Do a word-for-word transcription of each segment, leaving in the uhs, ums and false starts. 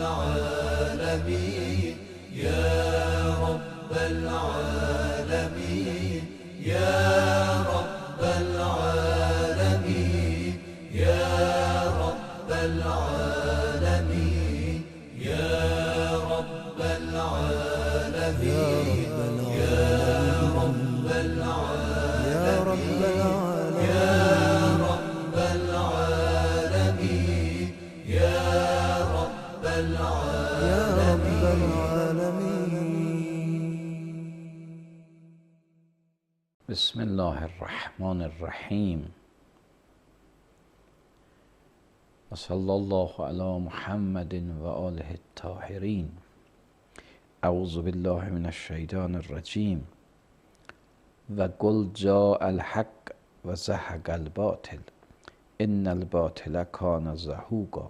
العالمين يا رب العالمين يا رب العالمين يا رب العالمين يا رب العالمين يا رب العالمين يا رب العالمين يا رب العالمين. بسم الله الرحمن الرحیم و صلی الله علی محمد و آله الطاهرین. اعوذ بالله من الشیطان الرجیم و قل جاء الحق و زهق الباطل ان الباطل کان زهوقا.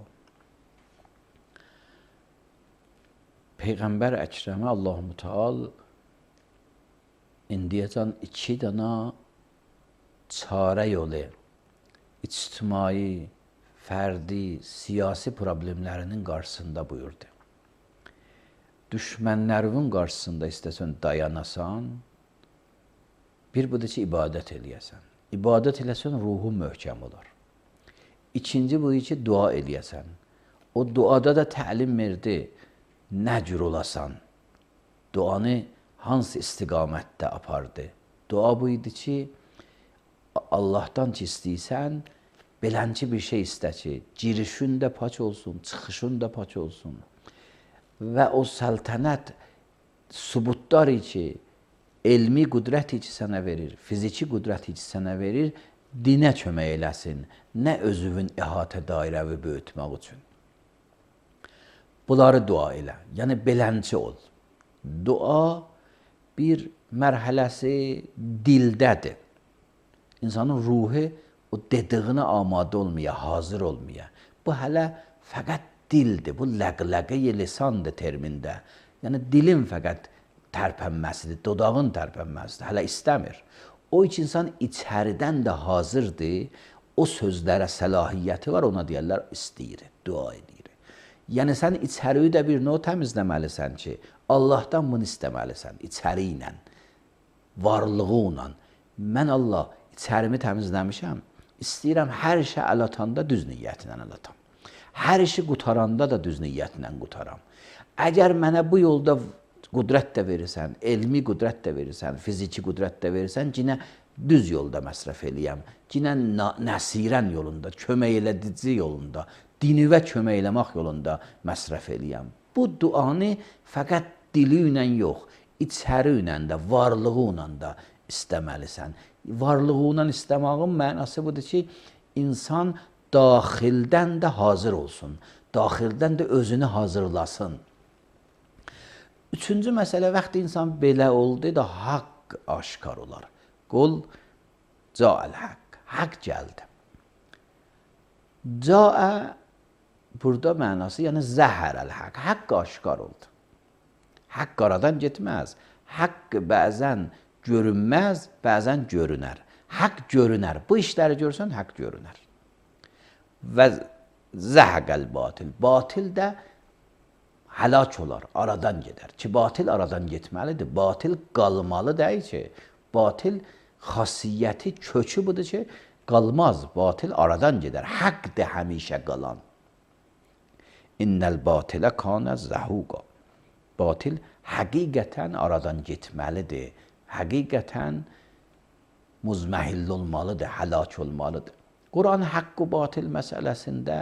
Peyğəmbər Əkrəmə Allah-u Teala indiyəcən iki dana çarə yolu, ictimai, fərdi, siyasi problemlərinin qarşısında buyurdu. Düşmənlərin qarşısında istəsən dayanasan, bir budur ki, ibadət eləyəsən. İbadət eləsən, ruhun möhkəm olar. İkinci budur ki, dua eləyəsən. O duada da təlim verdi, nə cür olasan, duanı hansı istiqamətdə apardı? Dua bu idi ki, Allahdan ki istəysən, belənci bir şey istə ki, girişün də paç olsun, çıxışın da paç olsun. Və o səltənət subutlar ki, elmi qüdrət ki sənə verir, fiziki qüdrət ki sənə verir, dinə kömək eləsin, nə özünün əhatə dairəvi böyütmək üçün. Bunları dua elə, yəni belənci ol. Dua bir mərhələsi dildədir. İnsanın ruhu o dediyinə amadə olmaya, hazır olmaya. Bu hələ fəqət dildir, bu ləqləqə-i lisandır termində. Yəni dilin fəqət tərpənməsidir, dodağın tərpənməsidir, hələ istəmir. O üç insan içəridən də hazırdır, o sözlərə səlahiyyəti var, ona deyərlər istəyir, dua edir. Yəni sən içəriyi də bir növ təmizləməlisən ki, Allahdan bunu istəməlisən, içəri ilə, varlığı ilə. Mən Allah içərimi təmizləmişəm, istəyirəm hər şey əl atanda düz niyyətlə əl atam. Hər işi qutaranda da düz niyyətlə qutaram. Əgər mənə bu yolda qüdrət də verirsən, elmi qüdrət də verirsən, fiziki qüdrət də verirsən, cinə düz yolda məsrəf eləyəm, cinə nəsirən yolunda, kömək elədici yolunda, dinivə kömək eləmək yolunda məsrəf eləyəm. Bu duanı fəqət dili ilə yox, içəri ilə də, varlığı ilə də istəməlisən. Varlığı ilə istəməyin mənası budur ki, insan daxildən də hazır olsun, daxildən də özünü hazırlasın. Üçüncü məsələ, vaxt insan belə oldu da haqq aşkar olar. Qul ca'al haqq, haqq gəldi. Ca'a burada mənası, yəni zəhərəl haqq, haqq aşkar oldu. Haqq aradan getməz. Haqq bəzən görünməz, bəzən görünər. Haqq görünər. Bu işləri görsən, haqq görünər. Və zəhəqəl batil. Batil də həlak olar, aradan gedər. Ki, batil aradan getməlidir. Batil qalmalı deyil ki, batil xasiyyəti, kökü budur ki, qalmaz. Batil aradan gedər. Haqdır həmişə qalan. İnnəl batilə kanə zəhuqa. Batil həqiqətən aradan getməlidir. Həqiqətən muzməhill olmalıdır, həlak olmalıdır. Quran haqq-ı batil məsələsində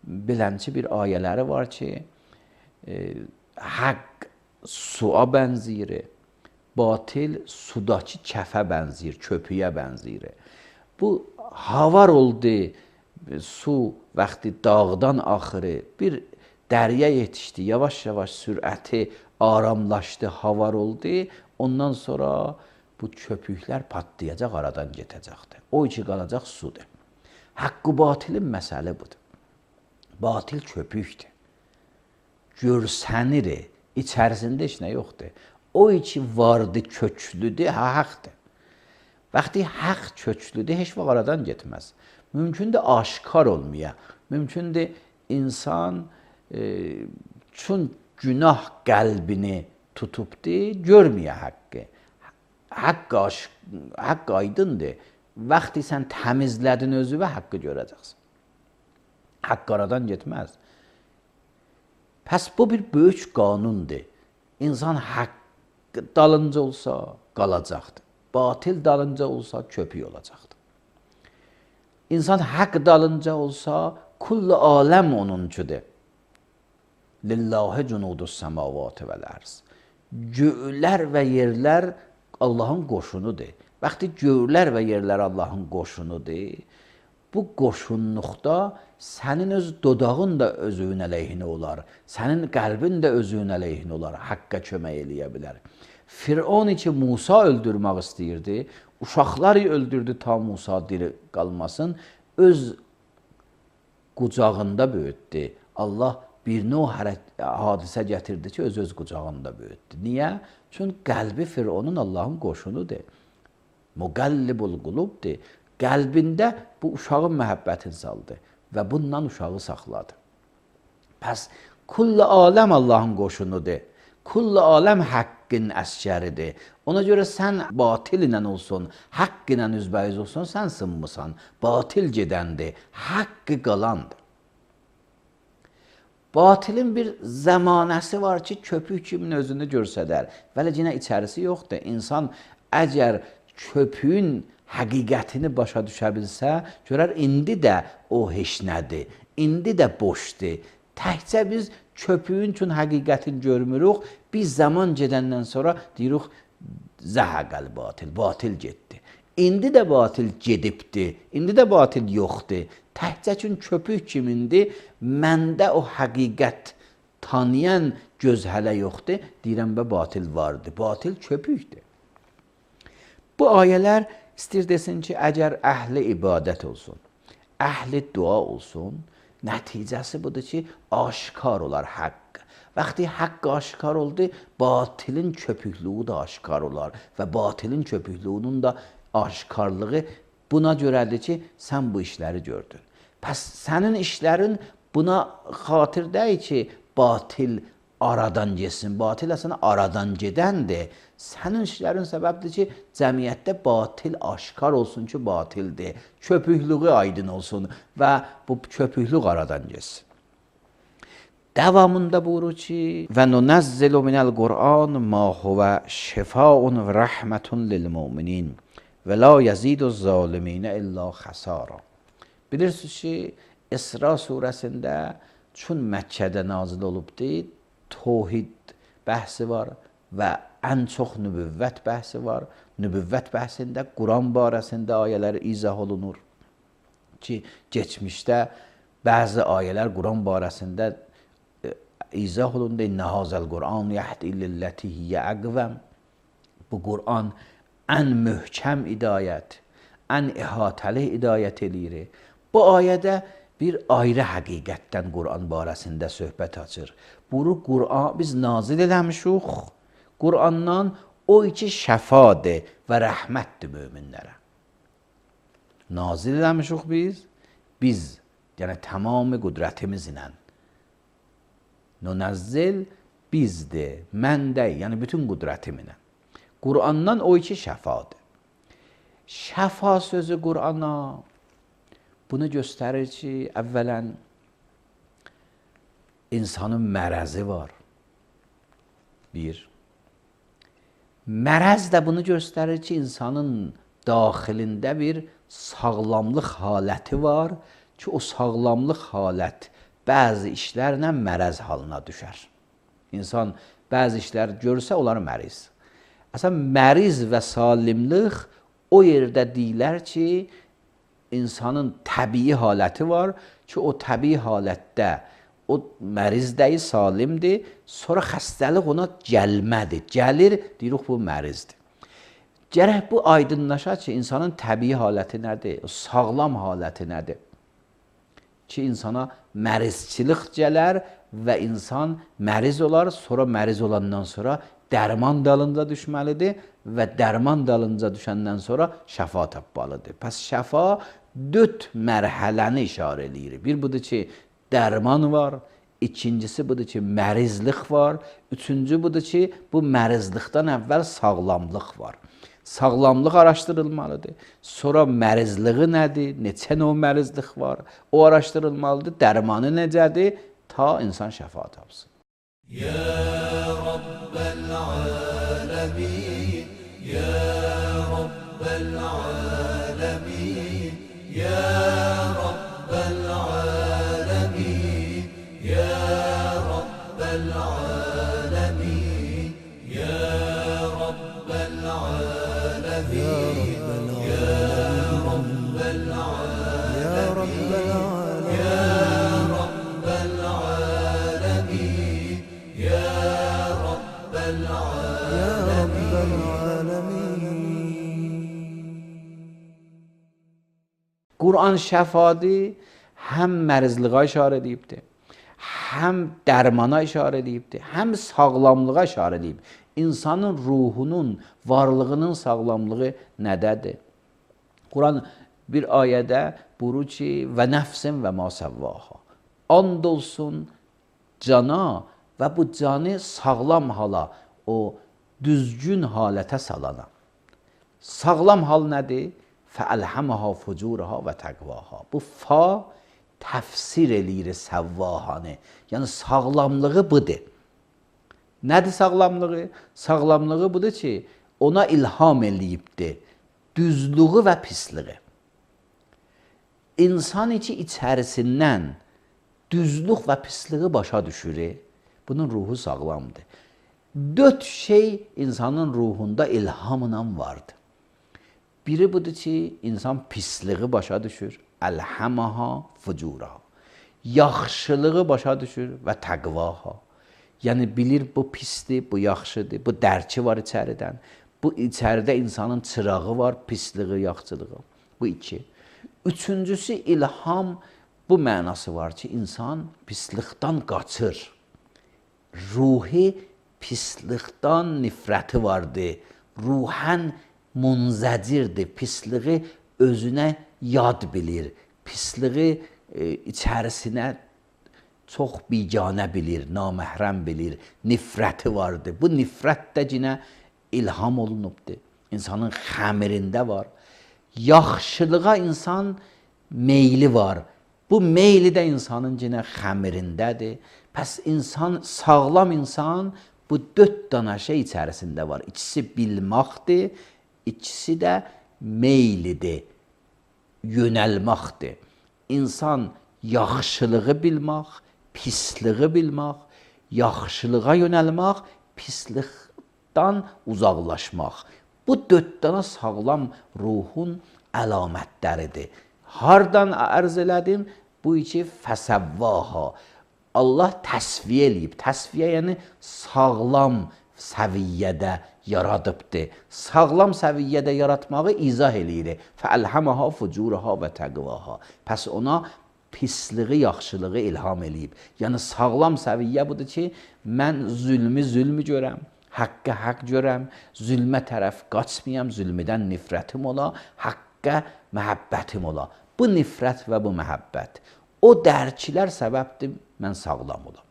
bilənçi bir ayələri var ki, e, haqq suya bənzir, batil sudakı kəfə bənzir, köpüyə bənzir. Bu havar oldu, su vaxtı dağdan axırı, bir dərya yetişdi, yavaş-yavaş sürəti aramlaşdı, havar oldu. Ondan sonra bu köpüklər patlayacaq, aradan getəcəkdir. O iki qalacaq sudur. Haqqı batilin məsələ budur. Batil köpükdür. Görsənir, içərisində heç nə yoxdur. O iki vardı, köklüdür, haqdır. Vaxtı haqq köklüdür, heç vaxt aradan getməz. Mümkündür aşkar olmaya, mümkündür insan e, Çün günah qəlbini tutubdi, görməyə haqqı. Haqq aşk, haqq aydındır. Vaxtı sən təmizlədin özü və haqqı görəcəksən. Haqq aradan getməz. Pəs bu bir böyük qanundur. İnsan haqq dalınca olsa qalacaqdır. Batil dalınca olsa köpük olacaqdır. İnsan haqq dalınca olsa kullu aləm onuncudur. Lillahi cunudus semavati vel arz. Göylər və yerlər Allahın qoşunudur. Vaxtı göylər və yerlər Allahın qoşunudur. Bu qoşunluqda sənin öz dodağın da özünün əleyhinə olar. Sənin qəlbin də özünün əleyhinə olar. Haqqa kömək eləyə bilər. Firon için Musa öldürmək istəyirdi. Uşaqları öldürdü ta Musa diri qalmasın. Öz qucağında böyütdü. Allah bir növ hadisə gətirdi ki, öz-öz qucağında böyütdü. Niyə? Çünki qəlbi Fironun Allahın qoşunudur. Müqəllibul qulubdur. Qəlbində bu uşağın məhəbbətini saldı və bundan uşağı saxladı. Pəs kullu aləm Allahın qoşunudur. Kullu aləm haqqın əskəridir. Ona görə sən batil ilə olsun, haqq ilə üzbəyiz olsun, sən sınmısan. Batil gedəndir, haqqı qalandır. Batilin bir zəmanəsi var ki, köpük kimin özünü görsədər. Vələ yenə içərisi yoxdur. İnsan əgər köpüyün həqiqətini başa düşə bilsə, görər indi də o heç nədir, indi də boşdur. Təkcə biz köpüyün üçün həqiqətini görmürük, biz zaman gedəndən sonra deyirik, zəhəqəl batil, batil getdi. İndi də batil gedibdir, indi də batil yoxdur. Təkcə üçün köpük kimindir, məndə o həqiqət tanıyan göz hələ yoxdur, deyirəm bə batil vardır, batil köpükdür. Bu ayələr İstir desin ki, əgər əhli ibadət olsun, əhli dua olsun, nəticəsi budur ki, aşkar olar haqq. Vaxtı haqq aşkar oldu, batilin köpüklüğü də aşkar olar və batilin köpüklüğünün də aşkarlığı buna görədir ki, sən bu işləri gördün. Pəs sənin işlərin buna xatir deyil ki, batil aradan getsin, batil əslində aradan gedəndir. Sənin işlərin səbəbdir ki, cəmiyyətdə batil aşkar olsun ki, batildir. Köpüklüğü aydın olsun və bu köpüklük aradan getsin. Davamında buyurur ki, və nunəzzilu minəl Qur'an ma huvə şifaun və rəhmətun lil müminin və la yazidu zaliminə illa xəsara. Bilirsiniz ki, İsra surəsində çün Məkkədə nazil olubdur, tohid bəhsi var və ən çox nübüvvət bəhsi var. Nübüvvət bəhsində Quran barəsində ayələr izah olunur ki, geçmişdə bəzi ayələr Quran barəsində izah olundu. İnnə hazəl Quran yəhdi lilləti hiyyə əqvəm. Bu Quran ən möhkəm idayət, ən ihatəli idayət eləyir. Bu ayədə bir ayrı həqiqətdən Quran barəsində söhbət açır. Bunu Quran biz nazil eləmişik. Qurandan o iki şəfadır və rəhmətdir möminlərə. Nazil eləmişik biz, biz, yəni tamamı qüdrətimizlə. Nunəzzil bizdir, məndəy, yəni bütün qüdrətimlə. Qurandan o iki şəfadır. Şəfa sözü Qurana bunu göstərir ki, əvvələn insanın mərəzi var. Bir. Mərəz də bunu göstərir ki, insanın daxilində bir sağlamlıq haləti var ki, o sağlamlıq halət bəzi işlərlə mərəz halına düşər. İnsan bəzi işlər görsə, onlar məriz. Əslən, məriz və salimlik o yerdə deyilər ki, insanın təbii haləti var ki, o təbii halətdə o mərizdəyi salimdir, sonra xəstəlik ona gəlmədir. Gəlir, deyirik bu mərizdir. Gərək bu aydınlaşa ki, insanın təbii haləti nədir? O sağlam haləti nədir? Ki, insana mərizçilik gələr və insan məriz olar, sonra məriz olandan sonra dərman dalınca düşməlidir və dərman dalınca düşəndən sonra şəfa tapmalıdır. Pəs şəfa dörd mərhələni işarə edir. Bir budur ki, dərman var, İkincisi budur ki, mərizlik var. Üçüncü budur ki, bu mərizlikdən əvvəl sağlamlıq var. Sağlamlıq araşdırılmalıdır. Sonra mərizliği nədir? Neçə növ mərizlik var? O araşdırılmalıdır. Dərmanı necədir? Ta insan şəfa tapsın. يا رب العالمين يا رب العالمين يا رب العالمين يا رب العالمين يا رب العالمين يا رب العالمين يا رب العالمين يا رب العالمين يا رب العالمين. Quran şəfadır, həm mərizliğə işarə edibdir, həm dərmana işarə edibdir, həm sağlamlığa işarə edib. İnsanın ruhunun, varlığının sağlamlığı nədədir? Quran bir ayədə buyurur ki, və nəfsin və ma səvvaha. And olsun cana və bu canı sağlam hala, o düzgün halətə salana. Sağlam hal nədir? Fəəlhəməha fucuraha və təqvaha. Bu fa təfsir eləyir səvvahanı. Yəni sağlamlığı budur. Nədir sağlamlığı? Sağlamlığı budur ki, ona ilham eləyibdir. Düzlüğü və pisliği. İnsan içi içərisindən düzlük və pisliği başa düşür. Bunun ruhu sağlamdır. Dörd şey insanın ruhunda ilhamla vardır. Biri budur ki, insan pisliği başa düşür. Əlhəməha fucuraha. Yaxşılığı başa düşür və təqvaha. Yəni bilir bu pisdir, bu yaxşıdır, bu dərki var içəridən. Bu içəridə insanın çırağı var, pisliği, yaxşılığı. Bu iki. Üçüncüsü ilham, bu mənası var ki, insan pislikdən qaçır. Ruhi pislikdən nifrəti vardır. Ruhən munzəcirdir. Pisliği özünə yad bilir. Pisliği e, içərisinə çox biganə bilir, naməhrəm bilir. Nifrəti vardır. Bu nifrət də yenə ilham olunubdur. İnsanın xəmirində var. Yaxşılığa insan meyli var. Bu meyli də insanın yenə xəmirindədir. Pəs insan, sağlam insan bu dörd dana şey içərisində var. İkisi bilməkdir, ikisi də meylidir, yönəlməkdir. İnsan yaxşılığı bilmək, pisliği bilmək, yaxşılığa yönəlmək, pislikdən uzaqlaşmaq. Bu dörd dana sağlam ruhun əlamətləridir. Hardan ərz elədim? Bu iki fəsəvvaha. Allah təsviyə eləyib. Təsviyə yəni sağlam səviyyədə yaradıbdır. Sağlam səviyyədə yaratmağı izah eləyir. Fəəlhəməha fucuraha və təqvaha. Pəs ona pisliği, yaxşılığı ilham eləyib. Yəni sağlam səviyyə budur ki, mən zülmü zülmü görəm, haqqı haqq görəm, zülmə tərəf qaçmayam, zülmüdən nifrətim ola, haqqa məhəbbətim ola. Bu nifrət və bu məhəbbət. O dərkilər səbəbdir, mən sağlam olam.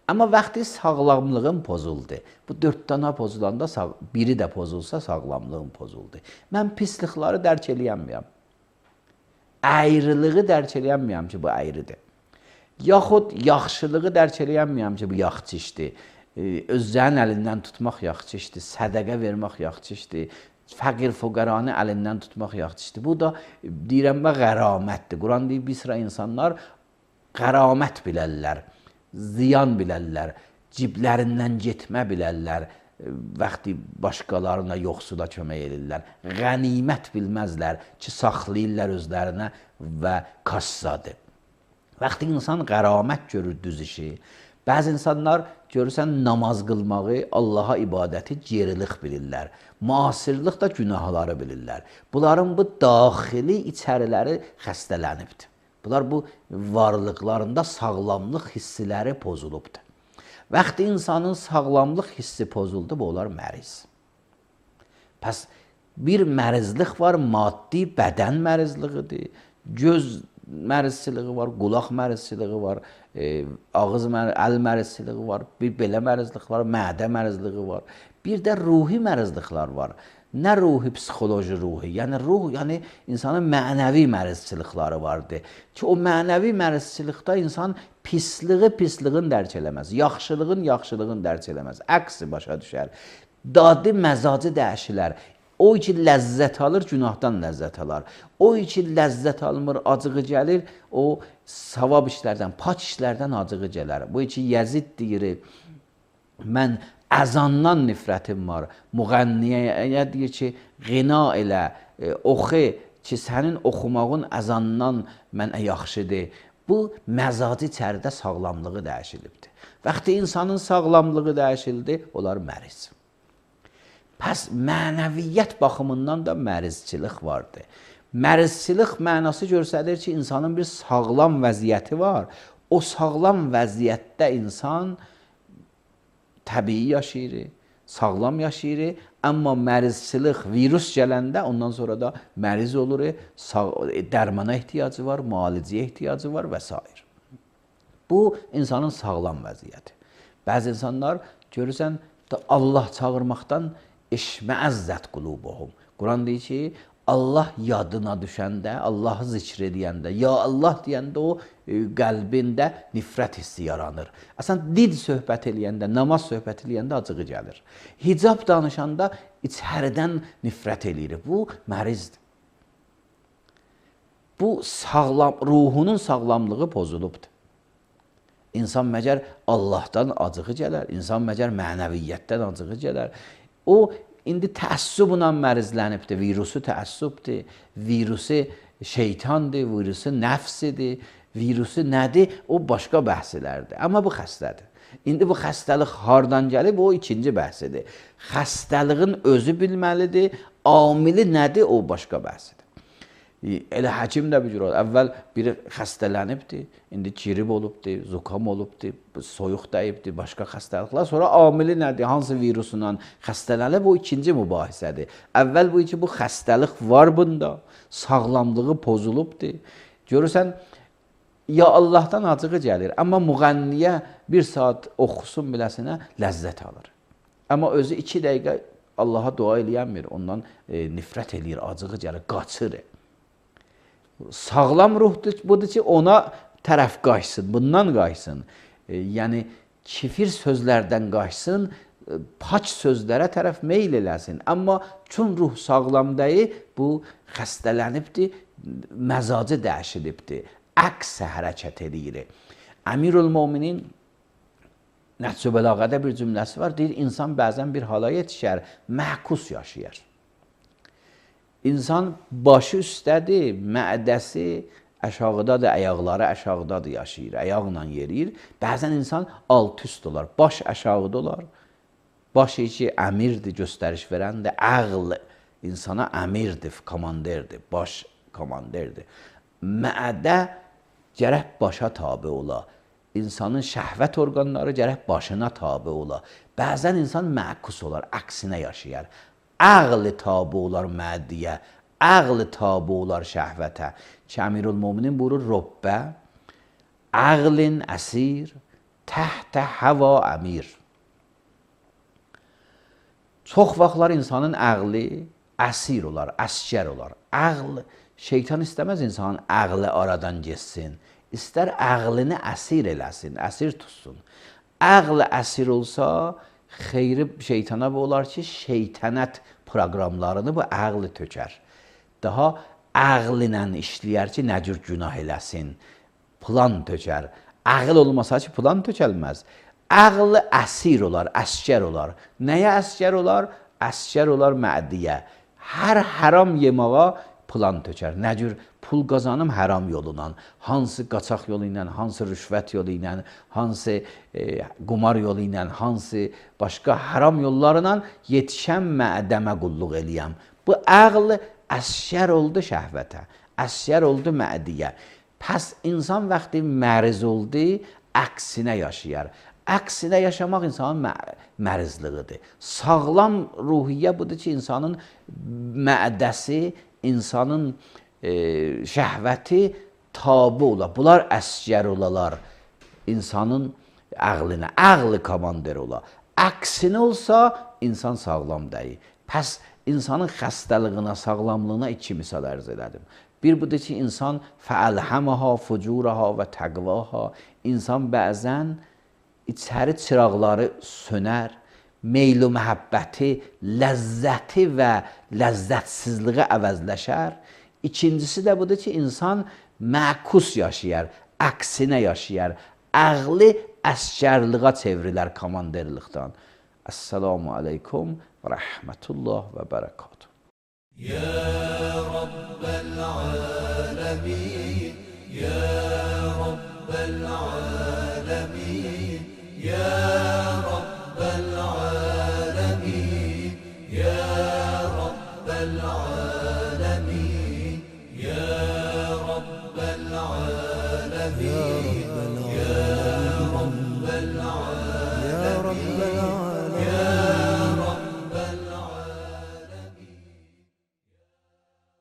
Amma vaxtı sağlamlığım pozuldu. Bu dörd dana pozulanda biri də pozulsa sağlamlığım pozuldu. Mən pislikləri dərk eləyəməyəm. Əyriliği dərk eləyəməyəm ki, bu əyridir. Yaxud yaxşılığı dərk eləyəməyəm ki, bu yaxçı işdir. Özlərin əlindən tutmaq yaxçı işdir. Sədəqə vermək yaxçı işdir. Fəqir fuqaranı əlindən tutmaq yaxçı işdir. Bu da deyirəm və qəramətdir. Quran deyir, bir sıra insanlar qəramət bilərlər, ziyan bilərlər, ciblərindən getmə bilərlər, vaxtı başqalarına yoxsula kömək edirlər. Qənimət bilməzlər ki, saxlayırlar özlərinə və kassadır. Vaxtı insan qəramət görür düz işi. Bəzi insanlar görürsən namaz qılmağı, Allaha ibadəti gerilik bilirlər. Müasirlik da günahları bilirlər. Bunların bu daxili içəriləri xəstələnibdir. Bunlar bu varlıqlarında sağlamlıq hissiləri pozulubdur. Vaxtı insanın sağlamlıq hissi pozuldu, bu onlar məriz. Pəs bir mərizlik var, maddi bədən mərizliğidir, göz mərizçiliği var, qulaq mərizçiliği var, e, ağız mər əl mərizçiliyi var, bir belə mərizlik var, mədə mərizliyi var. Bir də ruhi mərizliklər var. Nə ruhi, psixoloji ruhi, yəni ruh, yəni insanın mənəvi mərizçilikləri vardır. Ki o mənəvi mərizçilikdə insan pisliği pisliğin dərk eləməz, yaxşılığın yaxşılığın dərk eləməz, əksi başa düşər. Dadı məzacı dəyişilər. O ki ləzzət alır, günahdan ləzzət alar. O ki ləzzət almır, acığı gəlir, o savab işlərdən, pak işlərdən acığı gələr. Bu ki Yezid deyir, mən əzandan nifrətim var. Müğənniyə deyir ki, qina elə, e, oxu ki, sənin oxumağın əzandan mənə yaxşıdır. Bu, məzacı içəridə sağlamlığı dəyişilibdir. Vaxtı insanın sağlamlığı dəyişildi, onlar məriz. Pəs mənəviyyət baxımından da mərizçilik vardır. Mərizçilik mənası göstərir ki, insanın bir sağlam vəziyyəti var. O sağlam vəziyyətdə insan təbii yaşayır, sağlam yaşayır, amma mərizçilik, virus gələndə ondan sonra da məriz olur, dərmana ehtiyacı var, müalicəyə ehtiyacı var və s. Bu, insanın sağlam vəziyyəti. Bəzi insanlar görürsən, Allah çağırmaqdan eşməəzzət qulubuhum. Quran deyir ki, Allah yadına düşəndə, Allahı zikr edəndə, ya Allah deyəndə o e, qəlbində nifrət hissi yaranır. Əsən dil söhbət eləyəndə, namaz söhbət eləyəndə acığı gəlir. Hicab danışanda içəridən nifrət eləyir. Bu mərizdir. Bu sağlam, ruhunun sağlamlığı pozulubdur. İnsan məgər Allahdan acığı gələr, insan məgər mənəviyyətdən acığı gələr. O İndi təəssüblə mərizlənibdir, virusu təəssübdir, virusu şeytandır, virusu nəfsidir, virusu nədir, o başqa bəhslərdir. Amma bu xəstədir. İndi bu xəstəlik hardan gəlib, o ikinci bəhsidir. Xəstəliğin özü bilməlidir, amili nədir, o başqa bəhsidir. Elə həkim də bir cür olur. Əvvəl biri xəstələnibdir, indi girib olubdur, zukam olubdur, soyuq dəyibdir, başqa xəstəliklər. Sonra amili nədir, hansı virusundan xəstələnib, o ikinci mübahisədir. Əvvəl bu ki, bu xəstəlik var bunda, sağlamlığı pozulubdur. Görürsən, ya Allahdan acığı gəlir, amma müğənniyə bir saat oxusun biləsinə ləzzət alır. Amma özü iki dəqiqə Allaha dua eləyənmir, ondan e, nifrət eləyir, acığı gəlir, qaçır. Sağlam ruhdur, budur ki, ona tərəf qaçsın, bundan qaçsın. E, yəni, kifir sözlərdən qaçsın, e, paç sözlərə tərəf meyl eləsin. Amma çün ruh sağlam deyil, bu xəstələnibdir, məzacı dəyişilibdir, əks hərəkət edir. Əmirül-Möminin Nəhcü Bəlağədə bir cümləsi var, deyir, insan bəzən bir hala yetişər, məhkus yaşayır. İnsan başı üstədir, mədəsi aşağıdadır, ayaqları aşağıdadır, yaşayır, ayaqla yeriyir. Bəzən insan alt üst olar, baş aşağıda olar. Baş ki, əmirdir, göstəriş verəndir, əql insana əmirdir, komanderdir, baş komanderdir. Mədə gərək başa tabi ola. İnsanın şəhvət orqanları gərək başına tabi ola. Bəzən insan məkus olar, əksinə yaşayar. Əql tabi olar məddiyə, əql tabi olar şəhvətə. Ki, Əmirül-Möminin buyurur, Röbbə, əqlin əsir, təhtə həva əmir. Çox vaxtlar insanın əqli əsir olar, əskər olar. Əql, şeytan istəməz insanın əqli aradan geçsin. İstər əqlini əsir eləsin, əsir tutsun. Əql əsir olsa, xeyri şeytana bu olar ki, şeytanət proqramlarını bu əqli tökər. Daha əqlinə işləyər ki, nə cür günah eləsin, plan tökər. Əql olmasa ki, plan tökəlməz. Əql əsir olar, əskər olar. Nəyə əskər olar? Əskər olar məddiyə. Hər haram yemağa plan tökər. Nə cür pul qazanım haram yolundan, hansı qaçaq yolu ilə, hansı rüşvət yolu ilə, hansı e, qumar yolu ilə, hansı başqa haram yollarla yetişən mədəmə qulluq eləyəm. Bu əql əskər oldu şəhvətə, əskər oldu mədiyə. Pəs insan vaxtı məriz oldu, əksinə yaşayar. Əksinə yaşamaq insanın mərizliğidir. Sağlam ruhiyyə budur ki, insanın mədəsi, insanın e, şəhvəti tabi olar. Bunlar əskər olalar. insanın ağlına, ağlı komandir ola. Əksinə olsa, insan sağlam deyil. Pəs insanın xəstəliyinə, sağlamlığına iki misal ərz elədim. Bir budur ki, insan fəəlhəməha, fucuraha və təqvaha, insan bəzən içəri çıraqları sönər, meyl-i məhəbbəti, ləzzəti və ləzzətsizliği əvəzləşər. İkincisi də budur ki, insan məkus yaşayar, əksinə yaşayar, ağlı əskərliğə çevrilər komanderlikdən. Esselamu aleykum və rəhmətullah və bərəkatuhu. يا رب العالمين يا رب العالمين يا رب العالمين يا رب العالمين يا رب العالمين يا رب العالمين يا رب العالمين